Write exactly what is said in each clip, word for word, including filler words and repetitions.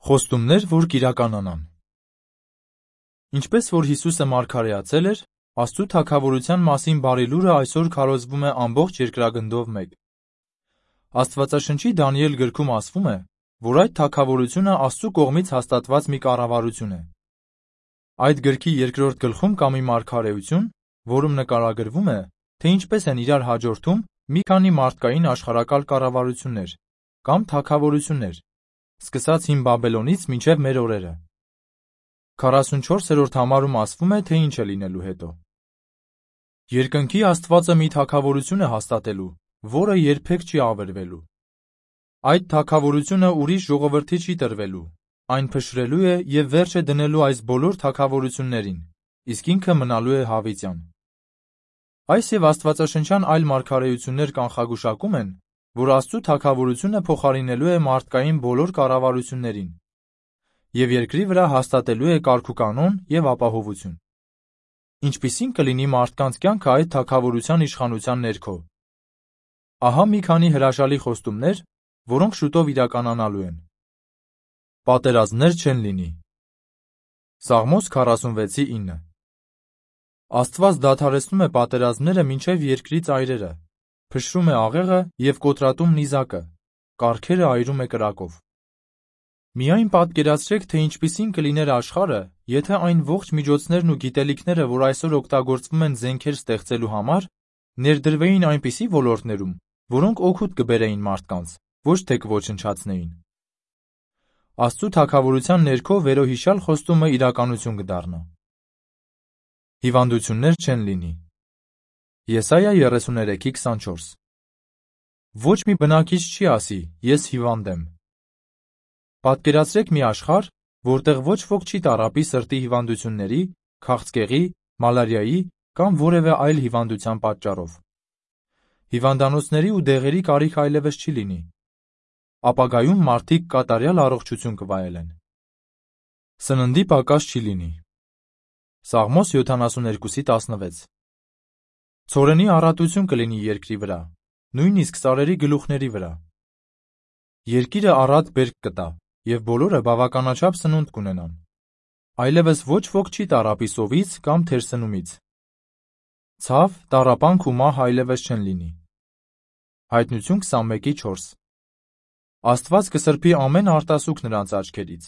Խոստումներ, որ կիրականանան։ Ինչպես որ Հիսուսը մարգարեացել էր, Աստծու թագավորության մասին բարի լուրը այսօր քարոզվում է ամբողջ երկրագնդով մեկ։ Աստվածաշնչի Դանիել գրքում ասվում է, որ այդ թագավորությունը Աստծու կողմից հաստատված մի կառավարություն է։ Այդ գրքի երկրորդ գլխում կա մի մարգարեություն, որում նկարագրվում է, թե ինչպես են իրար հաջորդում մի քանի մարդկային աշխարհակալ կառավարություններ կամ թագավորություններ, սկսած հին Բաբելոնից մինչև մեր օրերը։ քառասունչորսերորդ համարում ասվում է, թե ինչ է լինելու հետո։ Երկնքի Աստվածը մի թագավորություն է հաստատելու, որը երբեք չի ավերվելու։ Այդ թագավորությունը ուրիշ ժողովրդի չի տրվելու, այն փշրելու է և վերջ է դնելու այս բոլոր թագավորություններին, իսկ ինքը մնալու է հավիտյան։ Այս և աստվածաշնչյան այլ մարգարեություններ կանխագուշակում են, որ Աստծու թագավորությունը փոխարինելու է մարդկային բոլոր կառավարություններին և երկրի վրա հաստատելու է կարգուկանոն և ապահովություն։ Ինչպիսի՞ն կլինի մարդկանց կյանքը այդ թագավորության իշխանության ներքո։ Ահա մի քանի հրաշալի խոստումներ, որոնք շուտով իրականանալու են։ Պատերազմներ չեն լինի։ Սաղմոս քառասունվեցի ինը Աստված դադարեցնում է պատերազմները մինչև երկրի ծայրերը, փշրում է աղեղը և կոտրատում նիզակը, կառքերը այրում է կրակով։ Միայն պատկերացրեք, թե ինչպիսին կլիներ աշխարհը, եթե այն ողջ միջոցներն ու գիտելիքները, որ այսօր օգտագործվում են զենքեր ստեղծելու համար, ներդրվեին այնպիսի ոլորտներում, որոնք օգուտ կբերեին մարդկանց, ոչ թե կոչնչացնեին։ Աստծու թագավորության ներքո վերոհիշյալ խոստումը իրականություն կդառնա։ Հիվանդություններ չեն լինի։ Եսայա երեսուներեքի քսանչորս Ոչ մի բնակիչ չի ասի, ես հիվանդ եմ։ Պատկերացրեք մի աշխարհ, որտեղ ոչ ոք չի տառապի սրտի հիվանդությունների, քաղցկեղի, մալարիայի կամ որևէ այլ հիվանդության պատճառով։ Հիվանդանոցների ու դեղերի կարիք այլևս չի լինի։ Ապագայում մարդիկ կատարյալ առողջություն կվայելեն։ Սննդի պակաս չի լինի։ Սաղմոս յոթանասուներկուսի տասնվեց Ցորենի առատություն կլինի երկրի վրա, նույնիսկ սարերի գլուխների վրա։ Երկիրը առատ բերք կտա, և բոլորը բավականաչափ սնունդ կունենան։ Այլևս ոչ ոք չի տառապի սովից կամ թերսնումից։ Ցավ, տառապանք ու մահ այլևս չեն լինի։ Հայտնություն քսանմեկի չորս Աստված կսրբի ամեն արտասուք նրանց աչքերից,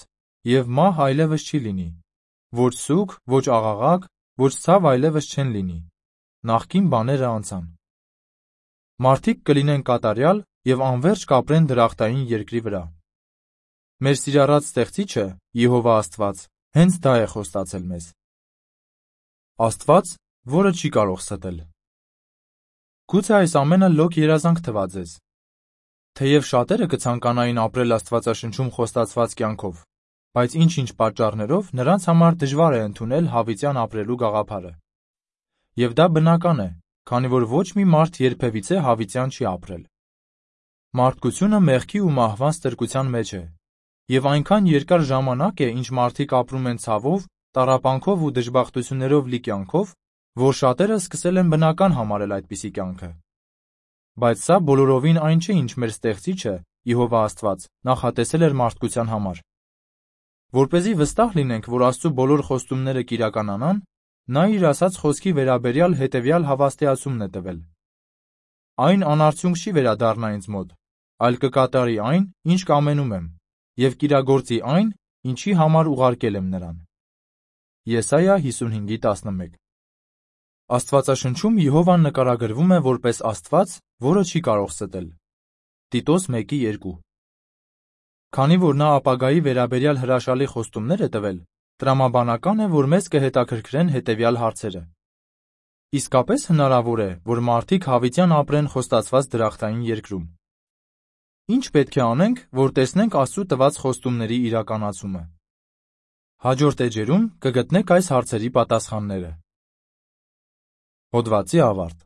և մահ այլևս չի լինի։ Ոչ սուգ, ոչ աղաղակ, ոչ ցավ այլևս չեն լինի։ Նախկին բաները անցան։ Մարդիկ կլինեն կատարյալ և անվերջ կապրեն դրախտային երկրի վրա։ Մեր սիրառած Ստեղծիչը, Եհովա Աստված, հենց դա է խոստացել մեզ։ Աստված, որը չի կարող ստել։ Գուցե այս ամենը լոկ երազանք թվա ձեզ։ Թեև շատերը կցանկանային ապրել Աստվածաշնչում խոստացված կյանքով, բայց ինչ-ինչ պատճառներով նրանց համար դժվար է ընդունել հավիտյան ապրելու գաղափարը։ Եվ դա բնական է, քանի որ ոչ մի մարդ երբևիցե հավիտյան չի ապրել։ Մարդկությունը մեղքի ու մահվան ստրկության մեջ է, և այնքան երկար ժամանակ է, ինչ մարդիկ ապրում են ցավով, տառապանքով ու դժբախտություններով լի կյանքով, որ շատերը սկսել են բնական համարել այդպիսի կյանքը։ Բայց սա բոլորովին այն չէ, ինչ մեր Ստեղծիչը, Եհովա Աստված, նախատեսել էր մարդկության համար։ Որպեսզի վստահ լինենք, որ Աստծու բոլոր խոստումները կիրականանան, նա իր ասած խոսքի վերաբերյալ հետևյալ հավաստիացումն է տվել. Այն անարդյունք չի վերադառնա ինձ մոտ, այլ կկատարի այն, ինչ կամենում եմ, և կիրագործի այն, ինչի համար ուղարկել եմ նրան։ Եսայա հիսունհինգի տասնմեկ Աստվածաշնչում Եհովան նկարագրվում է որպես Աստված, որը չի կարող ստել։ Տիտոս մեկի երկու Քանի որ նա ապագայի վերաբերյալ հրաշալի խոստումներ է տվել, տրամաբանական է, որ մեզ կհետաքրքրեն հետևյալ հարցերը. Իսկապես հնարավոր է, որ մարդիկ հավիտյան ապրեն խոստացված դրախտային երկրում։ Ինչ պետք է անենք, որ տեսնենք Աստծու տված խոստումների իրականացումը։ Հաջորդ էջերում կգտնեք այս հարցերի պատասխանները։ Հոդվացի ավարտ